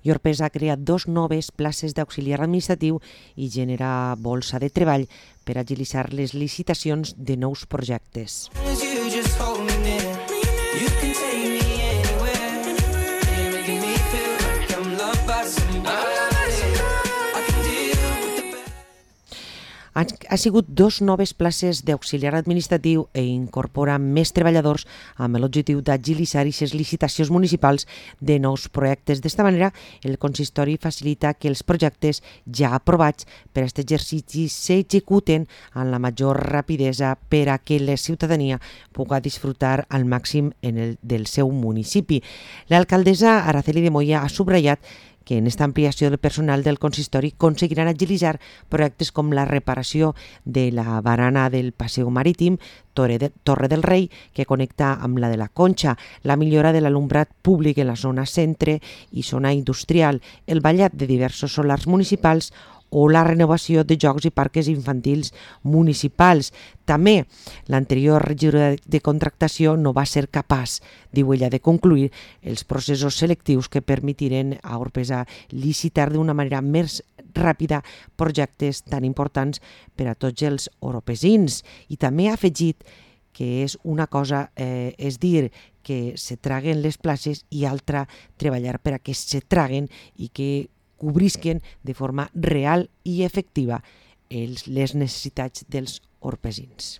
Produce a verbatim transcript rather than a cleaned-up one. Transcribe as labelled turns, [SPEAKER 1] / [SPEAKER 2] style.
[SPEAKER 1] i Orpesa ha creat dos noves places d'auxiliar administratiu i genera bolsa de treball per agilitzar les licitacions de nous projectes. Ha sigut dos noves places d'auxiliar administratiu i incorpora més treballadors amb l'objectiu d'agilitzar aquestes licitacions municipals de nous projectes. D'esta manera, el consistori facilita que els projectes ja aprovats per a aquest exercici s'executen amb la major rapidesa per a que la ciutadania pugui disfrutar al màxim en el, del seu municipi. L'alcaldessa Araceli de Moya ha subratllat que en esta ampliació del personal del consistori aconseguiran agilitzar projectes com la reparació de la barana del Passeig Marítim, Torre del Rei, que connecta amb la de la Conxa, la millora de l'alumbrat públic en la zona centre i zona industrial, el ballat de diversos solars municipals o la renovació de jocs i parques infantils municipals. També l'anterior regidora de contractació no va ser capaç, diu ella, de concluir els processos selectius que permetiren a Orpesa licitar d'una manera més ràpida projectes tan importants per a tots els oropesins. I també ha afegit que és una cosa, eh, és dir, que se traguen les places i altra treballar per a que se traguen i que cobrisquen de forma real i efectiva els, les necessitats dels orpesins.